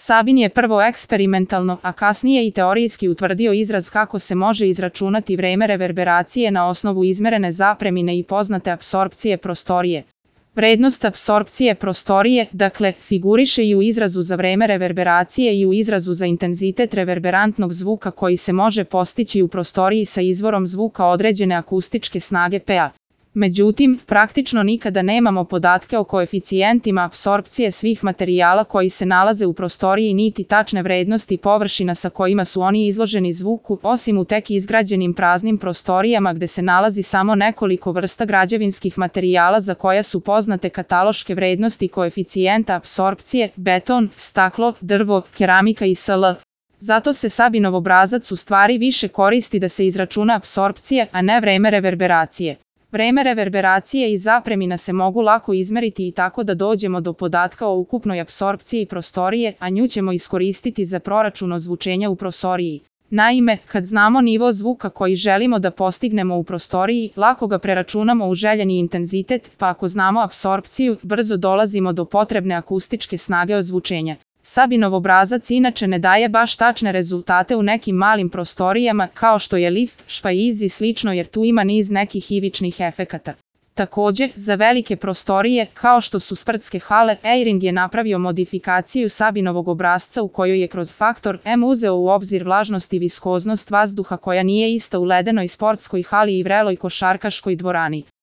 Sabin je prvo eksperimentalno, a kasnije i teorijski utvrdio izraz kako se može izračunati vreme reverberacije na osnovu izmerene zapremine i poznate apsorpcije prostorije. Vrednost apsorpcije prostorije, dakle, figuriše i u izrazu za vreme reverberacije i u izrazu za intenzitet reverberantnog zvuka koji se može postići u prostoriji sa izvorom zvuka određene akustičke snage Pa. Međutim, praktično nikada nemamo podatke o koeficijentima apsorpcije svih materijala koji se nalaze u prostoriji niti tačne vrednosti površina sa kojima su oni izloženi zvuku, osim u tek izgrađenim praznim prostorijama gde se nalazi samo nekoliko vrsta građevinskih materijala za koja su poznate kataloške vrednosti koeficijenta apsorpcije, beton, staklo, drvo, keramika i sl. Zato se Sabinov obrazac u stvari više koristi da se izračuna apsorpcija, a ne vreme reverberacije. Vreme reverberacije i zapremina se mogu lako izmeriti i tako da dođemo do podatka o ukupnoj apsorpciji prostorije, a nju ćemo iskoristiti za proračun ozvučenja u prostoriji. Naime, kad znamo nivo zvuka koji želimo da postignemo u prostoriji, lako ga preračunamo u željeni intenzitet, pa ako znamo apsorpciju, brzo dolazimo do potrebne akustičke snage ozvučenja. Sabinov obrazac inače ne daje baš tačne rezultate u nekim malim prostorijama kao što je lift, špajz i slično jer tu ima niz nekih ivičnih efekata. Također, za velike prostorije, kao što su sportske hale, Eyring je napravio modifikaciju Sabinovog obrasca u kojoj je kroz faktor M uzeo u obzir vlažnost i viskoznost vazduha koja nije ista u ledenoj sportskoj hali i vreloj košarkaškoj dvorani.